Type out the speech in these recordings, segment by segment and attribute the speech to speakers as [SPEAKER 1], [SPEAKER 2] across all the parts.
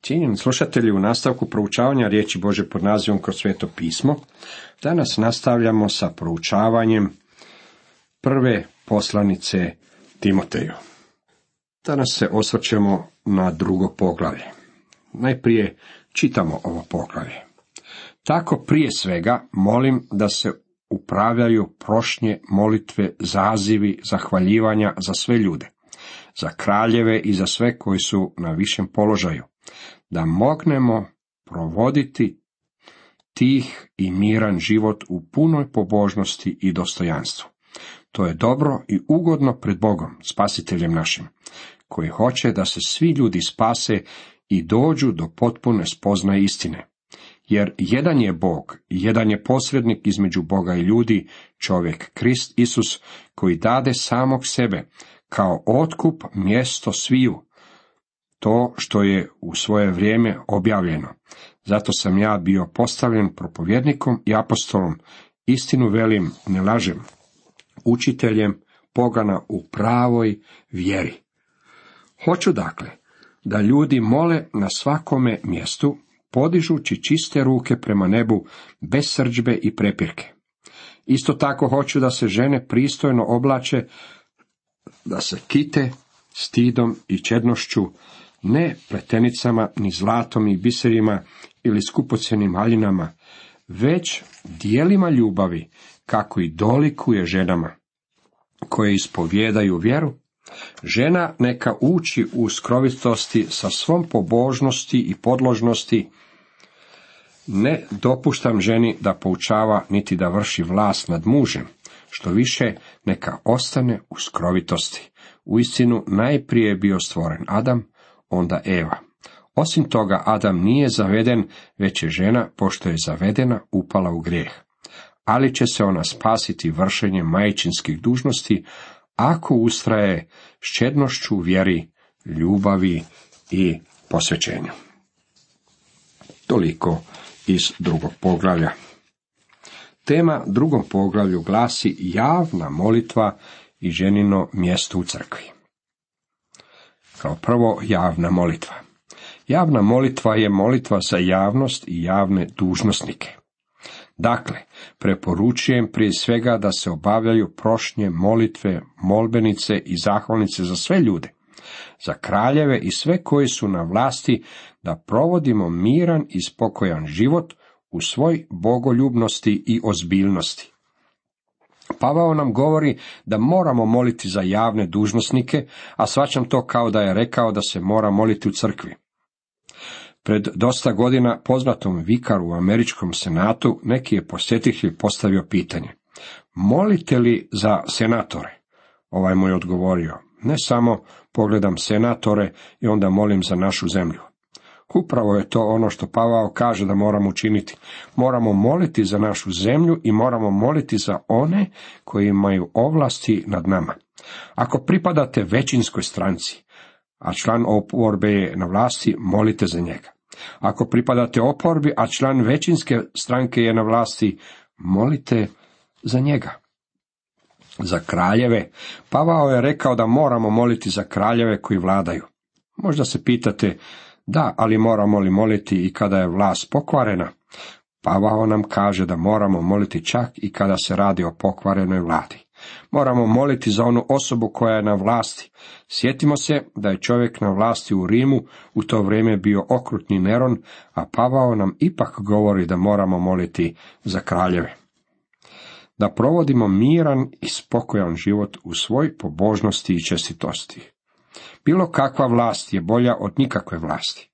[SPEAKER 1] Cijenjeni slušatelji, u nastavku proučavanja riječi Božje pod nazivom Kroz sveto pismo, danas nastavljamo sa proučavanjem prve poslanice Timoteju. Danas se osvrćemo na drugo poglavlje. Najprije čitamo ovo poglavlje. Tako prije svega molim da se upravljaju prošnje, molitve, zazivi, zahvaljivanja za sve ljude, za kraljeve i za sve koji su na višem položaju, da mognemo provoditi tih i miran život u punoj pobožnosti i dostojanstvu. To je dobro i ugodno pred Bogom, Spasiteljem našim, koji hoće da se svi ljudi spase i dođu do potpune spoznaje istine. Jer jedan je Bog, jedan je posrednik između Boga i ljudi, čovjek Krist Isus, koji dade samog sebe kao otkup mjesto sviju, to što je u svoje vrijeme objavljeno. Zato sam ja bio postavljen propovjednikom i apostolom, istinu velim, ne lažem, učiteljem pogana u pravoj vjeri. Hoću dakle da ljudi mole na svakome mjestu, podižući čiste ruke prema nebu, bez srdžbe i prepirke. Isto tako hoću da se žene pristojno oblače, da se kite stidom i čednošću, ne pletenicama, ni zlatom i biserima ili skupocjenim haljinama, već dijelima ljubavi, kako i dolikuje ženama, koje ispovjedaju vjeru. Žena neka uči u skrovitosti sa svom pobožnosti i podložnosti. Ne dopuštam ženi da poučava, niti da vrši vlast nad mužem, što više neka ostane u skrovitosti. Uistinu najprije je bio stvoren Adam, onda Eva. Osim toga, Adam nije zaveden, već je žena, pošto je zavedena, upala u grijeh. Ali će se ona spasiti vršenjem majčinskih dužnosti, ako ustraje s čednošću vjeri, ljubavi i posvećenju. Toliko iz drugog poglavlja. Tema drugom poglavlju glasi javna molitva i ženino mjesto u crkvi. Kao prvo, javna molitva. Javna molitva je molitva za javnost i javne dužnosnike. Dakle, preporučujem prije svega da se obavljaju prošnje, molitve, molbenice i zahvalnice za sve ljude, za kraljeve i sve koji su na vlasti, da provodimo miran i spokojan život u svoj bogoljubnosti i ozbiljnosti. Pavao nam govori da moramo moliti za javne dužnosnike, a shvaćam to kao da je rekao da se mora moliti u crkvi. Pred dosta godina poznatom vikaru u američkom senatu neki je posjetitelj postavio pitanje: molite li za senatore? Ovaj mu je odgovorio: ne samo pogledam senatore i onda molim za našu zemlju. Upravo je to ono što Pavao kaže da moramo učiniti. Moramo moliti za našu zemlju i moramo moliti za one koji imaju ovlasti nad nama. Ako pripadate većinskoj stranci, a član oporbe je na vlasti, molite za njega. Ako pripadate oporbi, a član većinske stranke je na vlasti, molite za njega. Za kraljeve, Pavao je rekao da moramo moliti za kraljeve koji vladaju. Možda se pitate: da, ali moramo li moliti i kada je vlast pokvarena? Pavao nam kaže da moramo moliti čak i kada se radi o pokvarenoj vladi. Moramo moliti za onu osobu koja je na vlasti. Sjetimo se da je čovjek na vlasti u Rimu u to vrijeme bio okrutni Neron, a Pavao nam ipak govori da moramo moliti za kraljeve. Da provodimo miran i spokojan život u svoj pobožnosti i čestitosti. Bilo kakva vlast je bolja od nikakve vlasti.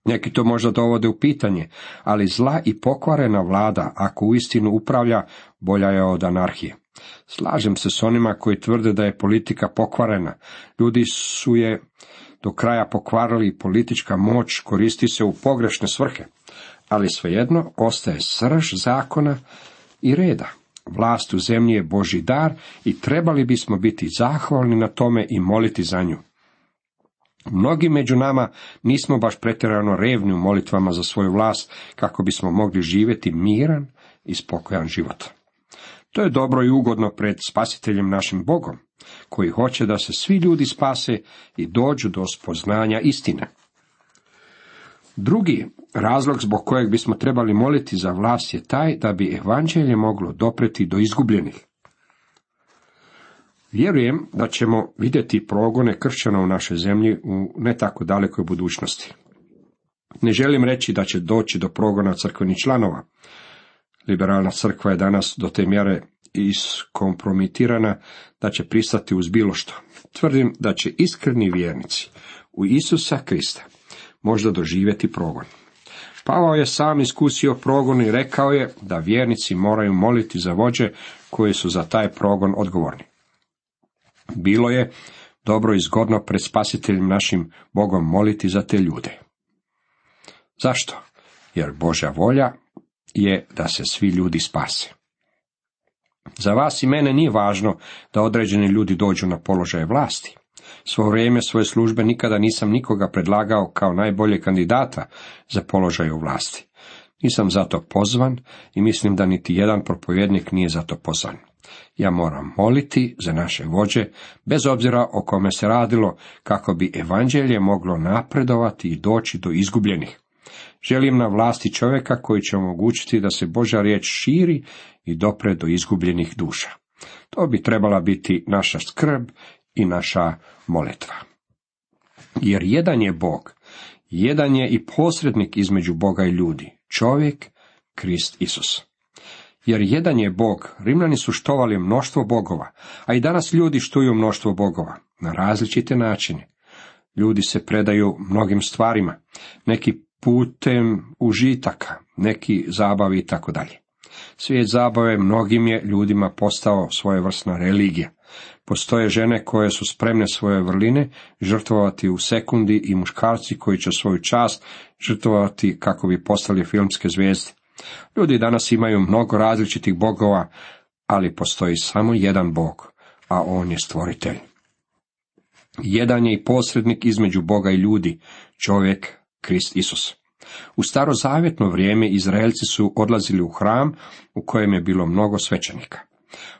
[SPEAKER 1] Neki to možda dovode u pitanje, ali zla i pokvarena vlada, ako uistinu upravlja, bolja je od anarhije. Slažem se s onima koji tvrde da je politika pokvarena. Ljudi su je do kraja pokvarili i politička moć koristi se u pogrešne svrhe, ali svejedno ostaje srž zakona i reda. Vlast u zemlji je Božji dar i trebali bismo biti zahvalni na tome i moliti za nju. Mnogi među nama nismo baš pretjerano revni u molitvama za svoju vlast, kako bismo mogli živjeti miran i spokojan život. To je dobro i ugodno pred Spasiteljem našim Bogom, koji hoće da se svi ljudi spase i dođu do spoznanja istine. Drugi razlog zbog kojeg bismo trebali moliti za vlast je taj da bi evanđelje moglo dopreti do izgubljenih. Vjerujem da ćemo vidjeti progone kršćana u našoj zemlji u ne tako dalekoj budućnosti. Ne želim reći da će doći do progona crkvenih članova. Liberalna crkva je danas do te mjere iskompromitirana da će pristati uz bilo što. Tvrdim da će iskreni vjernici u Isusa Krista možda doživjeti progon. Pavao je sam iskusio progon i rekao je da vjernici moraju moliti za vođe koji su za taj progon odgovorni. Bilo je dobro i zgodno pred Spasiteljem našim Bogom moliti za te ljude. Zašto? Jer Božja volja je da se svi ljudi spase. Za vas i mene nije važno da određeni ljudi dođu na položaje vlasti. Svo vrijeme svoje službe nikada nisam nikoga predlagao kao najbolje kandidata za položaj u vlasti. Nisam zato pozvan i mislim da niti jedan propovjednik nije zato pozvan. Ja moram moliti za naše vođe, bez obzira o kome se radilo, kako bi evanđelje moglo napredovati i doći do izgubljenih. Želim na vlasti čovjeka koji će omogućiti da se Božja riječ širi i dopre do izgubljenih duša. To bi trebala biti naša skrb i naša molitva. Jer jedan je Bog, jedan je i posrednik između Boga i ljudi, čovjek, Krist Isus. Jer jedan je Bog, Rimljani su štovali mnoštvo bogova, a i danas ljudi štuju mnoštvo bogova, na različite načine. Ljudi se predaju mnogim stvarima, neki putem užitaka, neki zabavi i tako dalje. Svijet zabave mnogim je ljudima postao svojevrsna religija. Postoje žene koje su spremne svoje vrline žrtvovati u sekundi i muškarci koji će svoju čast žrtvovati kako bi postali filmske zvijezde. Ljudi danas imaju mnogo različitih bogova, ali postoji samo jedan Bog, a on je stvoritelj. Jedan je i posrednik između Boga i ljudi, čovjek, Krist Isus. U starozavjetno vrijeme Izraelci su odlazili u hram u kojem je bilo mnogo svećenika.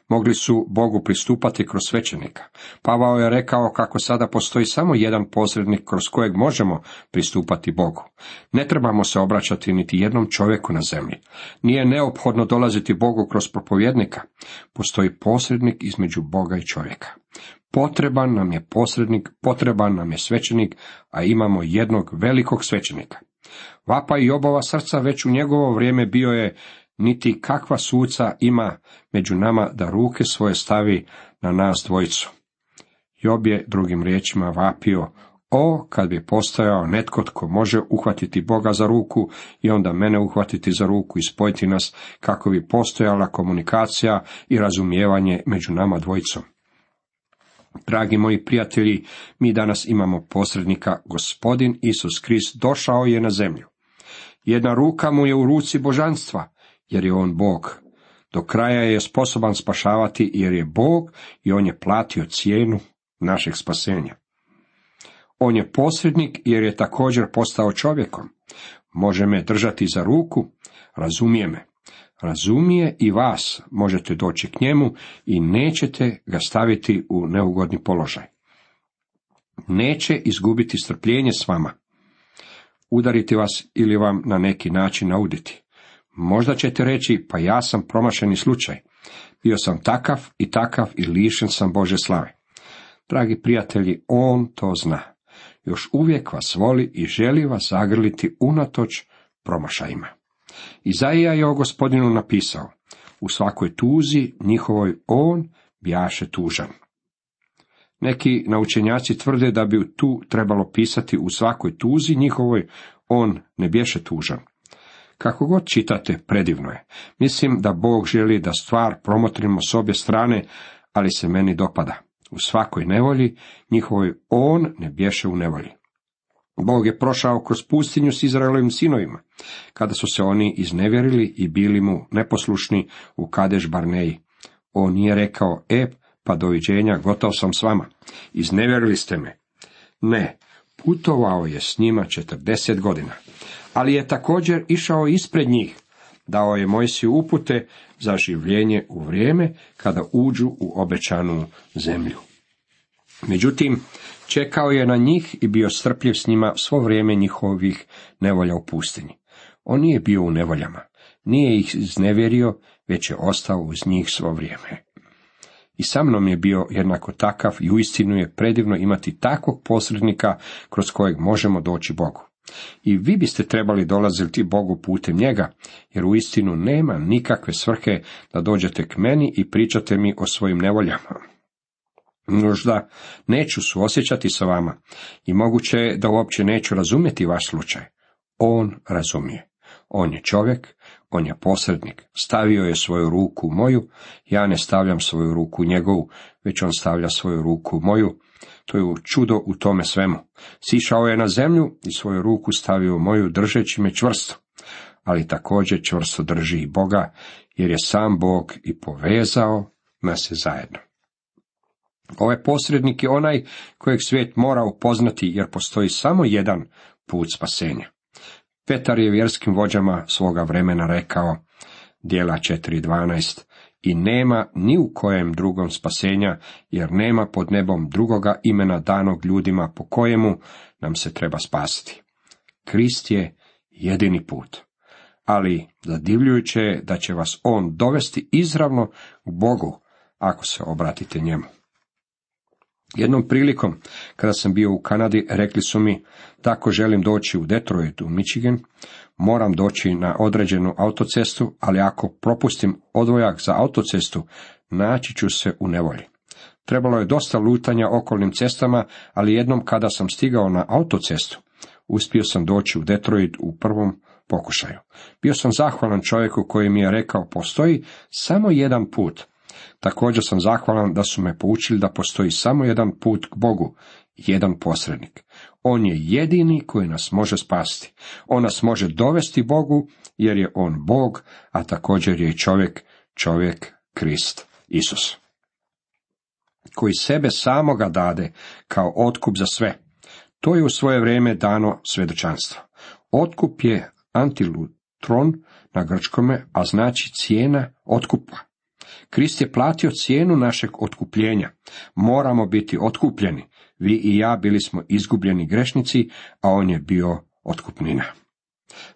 [SPEAKER 1] Mogli su Bogu pristupati kroz svećenika. Pavao je rekao kako sada postoji samo jedan posrednik kroz kojeg možemo pristupati Bogu. Ne trebamo se obraćati niti jednom čovjeku na zemlji. Nije neophodno dolaziti Bogu kroz propovjednika. Postoji posrednik između Boga i čovjeka. Potreban nam je posrednik, potreban nam je svećenik, a imamo jednog velikog svećenika. Vapaj Jobova srca već u njegovo vrijeme bio je: niti kakva suca ima među nama da ruke svoje stavi na nas dvojicu. Job je drugim riječima vapio: o, kad bi postojao netko tko može uhvatiti Boga za ruku i onda mene uhvatiti za ruku i spojiti nas, kako bi postojala komunikacija i razumijevanje među nama dvojicom. Dragi moji prijatelji, mi danas imamo posrednika, Gospodin Isus Krist došao je na zemlju. Jedna ruka mu je u ruci božanstva, jer je on Bog. Do kraja je sposoban spašavati, jer je Bog i on je platio cijenu našeg spasenja. On je posrednik, jer je također postao čovjekom. Može me držati za ruku, razumije me. Razumije i vas, možete doći k njemu i nećete ga staviti u neugodni položaj. Neće izgubiti strpljenje s vama, udariti vas ili vam na neki način nauditi. Možda ćete reći: pa ja sam promašeni slučaj, bio sam takav i lišen sam Božje slave. Dragi prijatelji, on to zna. Još uvijek vas voli i želi vas zagrliti unatoč promašajima. Izaija je o Gospodinu napisao: u svakoj tuzi njihovoj on bjaše tužan. Neki naučenjaci tvrde da bi tu trebalo pisati: u svakoj tuzi njihovoj on ne bješe tužan. Kako god čitate, predivno je. Mislim da Bog želi da stvar promotrimo s obje strane, ali se meni dopada. U svakoj nevolji njihovoj on ne bješe u nevolji. Bog je prošao kroz pustinju s Izraelovim sinovima, kada su se oni iznevjerili i bili mu neposlušni u Kadeš Barneji. On nije rekao: pa doviđenja, gotov sam s vama, iznevjerili ste me. Ne, putovao je s njima 40 godina, ali je također išao ispred njih, dao je Mojsiju upute za življenje u vrijeme kada uđu u obećanu zemlju. Međutim, čekao je na njih i bio strpljiv s njima svo vrijeme njihovih nevolja u pustinji. On nije bio u nevoljama, nije ih iznevjerio, već je ostao uz njih svo vrijeme. I sa mnom je bio jednako takav i uistinu je predivno imati takvog posrednika kroz kojeg možemo doći Bogu. I vi biste trebali dolaziti Bogu putem njega, jer uistinu nema nikakve svrhe da dođete k meni i pričate mi o svojim nevoljama. Možda neću suosjećati sa vama i moguće je da uopće neću razumjeti vaš slučaj. On razumije. On je čovjek, on je posrednik. Stavio je svoju ruku u moju, ja ne stavljam svoju ruku u njegovu, već on stavlja svoju ruku u moju. To je čudo u tome svemu. Sišao je na zemlju i svoju ruku stavio u moju, držeći me čvrsto. Ali također čvrsto drži i Boga, jer je sam Bog i povezao nas zajedno. Ovaj posrednik je onaj kojeg svijet mora upoznati, jer postoji samo jedan put spasenja. Petar je vjerskim vođama svoga vremena rekao, Djela 4.12, i nema ni u kojem drugom spasenja, jer nema pod nebom drugoga imena danog ljudima po kojemu nam se treba spasiti. Krist je jedini put. Ali zadivljujuće je da će vas on dovesti izravno k Bogu, ako se obratite njemu. Jednom prilikom, kada sam bio u Kanadi, rekli su mi, tako želim doći u Detroit, u Michigan, moram doći na određenu autocestu, ali ako propustim odvojak za autocestu, naći ću se u nevolji. Trebalo je dosta lutanja okolnim cestama, ali jednom kada sam stigao na autocestu, uspio sam doći u Detroit u prvom pokušaju. Bio sam zahvalan čovjeku koji mi je rekao, postoji samo jedan put. Također sam zahvalan da su me poučili da postoji samo jedan put k Bogu, jedan posrednik. On je jedini koji nas može spasiti. On nas može dovesti Bogu, jer je on Bog, a također je čovjek Krist Isus, koji sebe samoga dade kao otkup za sve. To je u svoje vrijeme dano svjedočanstvo. Otkup je antilutron na grčkome, a znači cijena otkupa. Krist je platio cijenu našeg otkupljenja. Moramo biti otkupljeni. Vi i ja bili smo izgubljeni grešnici, a on je bio otkupnina,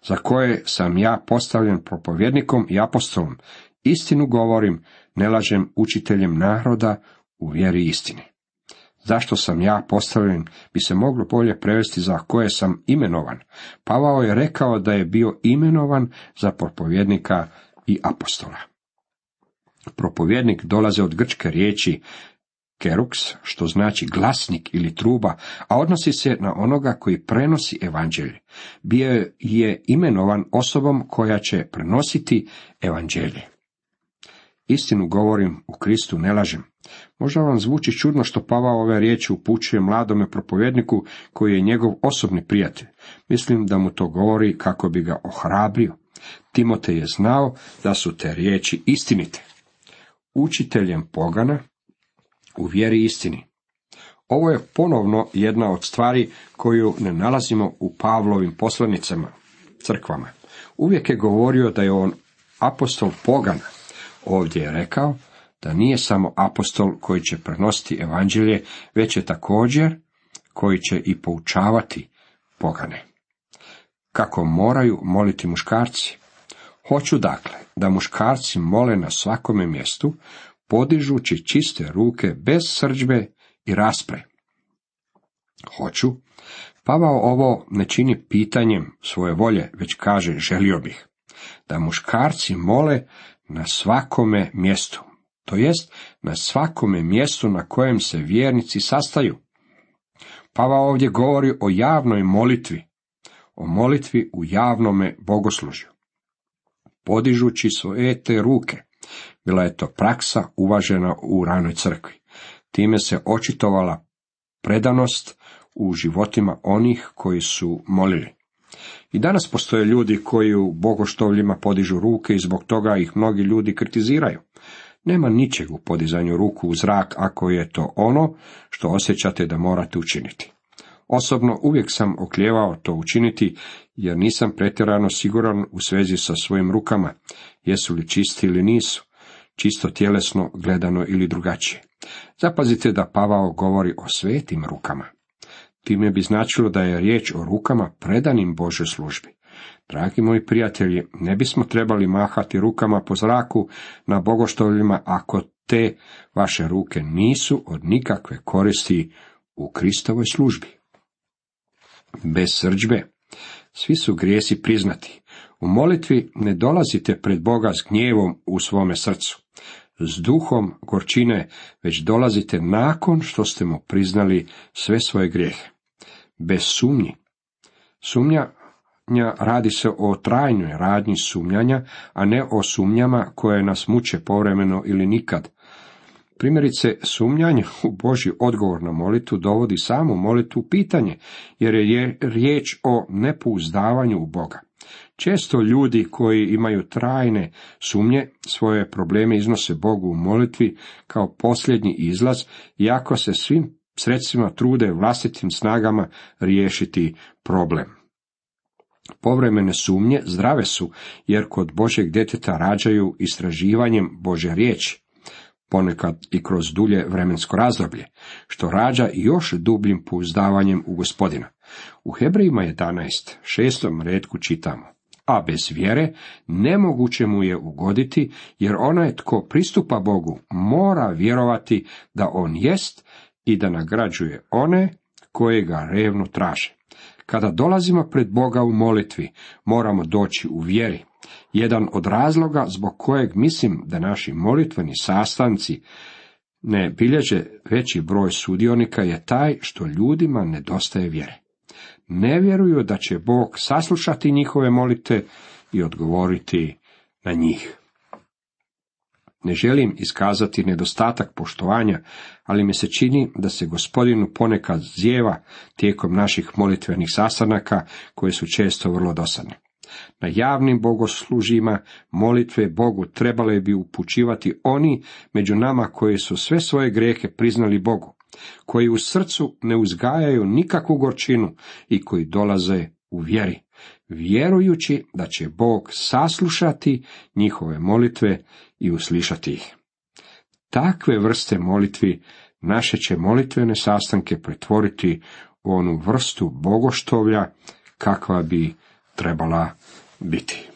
[SPEAKER 1] za koje sam ja postavljen propovjednikom i apostolom. Istinu govorim, ne lažem, učiteljem naroda u vjeri istini. Zašto sam ja postavljen, bi se moglo bolje prevesti za koje sam imenovan. Pavao je rekao da je bio imenovan za propovjednika i apostola. Propovjednik dolaze od grčke riječi keruks, što znači glasnik ili truba, a odnosi se na onoga koji prenosi evanđelje. Bio je imenovan osobom koja će prenositi evanđelje. Istinu govorim, u Kristu ne lažem. Možda vam zvuči čudno što Pavao ove riječi upućuje mladome propovjedniku koji je njegov osobni prijatelj. Mislim da mu to govori kako bi ga ohrabrio. Timotej je znao da su te riječi istinite. Učiteljem pogana u vjeri istini. Ovo je ponovno jedna od stvari koju ne nalazimo u Pavlovim poslanicama, crkvama. Uvijek je govorio da je on apostol pogana. Ovdje je rekao da nije samo apostol koji će prenositi evanđelje, već je također koji će i poučavati pogane. Kako moraju moliti muškarci? Hoću dakle da muškarci mole na svakome mjestu, podižući čiste ruke bez srdžbe i raspre. Hoću. Pavao ovo ne čini pitanjem svoje volje, već kaže želio bih da muškarci mole na svakome mjestu, to jest na svakome mjestu na kojem se vjernici sastaju. Pavao ovdje govori o javnoj molitvi, o molitvi u javnome bogoslužju, podižući svoje te ruke. Bila je to praksa uvažena u ranoj crkvi. Time se očitovala predanost u životima onih koji su molili. I danas postoje ljudi koji u bogoštovljima podižu ruke i zbog toga ih mnogi ljudi kritiziraju. Nema ničeg u podizanju ruku u zrak ako je to ono što osjećate da morate učiniti. Osobno uvijek sam oklijevao to učiniti jer nisam pretjerano siguran u svezi sa svojim rukama, jesu li čisti ili nisu. čisto tjelesno gledano ili drugačije. Zapazite da Pavao govori o svetim rukama. Time bi značilo da je riječ o rukama predanim Božoj službi. Dragi moji prijatelji, ne bismo trebali mahati rukama po zraku na bogoštovljima ako te vaše ruke nisu od nikakve koristi u Kristovoj službi. Bez srdžbe svi su grijesi priznati. U molitvi ne dolazite pred Boga s gnjevom u svome srcu, s duhom gorčine, već dolazite nakon što ste mu priznali sve svoje grijehe. Bez sumnji. Sumnja radi se o trajnoj radnji sumnjanja, a ne o sumnjama koje nas muče povremeno ili nikad. Primjerice, sumnjanje u Božji odgovor na molitvu dovodi samu molitvu u pitanje, jer je riječ o nepouzdavanju u Boga. Često ljudi koji imaju trajne sumnje svoje probleme iznose Bogu u molitvi kao posljednji izlaz, iako se svim sredstvima trude vlastitim snagama riješiti problem. Povremene sumnje zdrave su, jer kod Božjeg djeteta rađaju istraživanjem Božje riječi, ponekad i kroz dulje vremensko razdoblje, što rađa još dubljim pouzdavanjem u Gospodina. U Hebrejima 11, 6. retku čitamo: a bez vjere nemoguće mu je ugoditi, jer onaj tko pristupa Bogu mora vjerovati da on jest i da nagrađuje one koje ga revno traže. Kada dolazimo pred Boga u molitvi, moramo doći u vjeri. Jedan od razloga zbog kojeg mislim da naši molitveni sastanci ne bilježe veći broj sudionika je taj što ljudima nedostaje vjere. Ne vjeruju da će Bog saslušati njihove molitve i odgovoriti na njih. Ne želim iskazati nedostatak poštovanja, ali mi se čini da se Gospodinu ponekad zjeva tijekom naših molitvenih sastanaka, koje su često vrlo dosadne. Na javnim bogoslužjima molitve Bogu trebale bi upućivati oni među nama koji su sve svoje grijehe priznali Bogu, koji u srcu ne uzgajaju nikakvu gorčinu i koji dolaze u vjeri, vjerujući da će Bog saslušati njihove molitve i uslišati ih. Takve vrste molitvi naše će molitvene sastanke pretvoriti u onu vrstu bogoštovlja kakva bi trebala biti.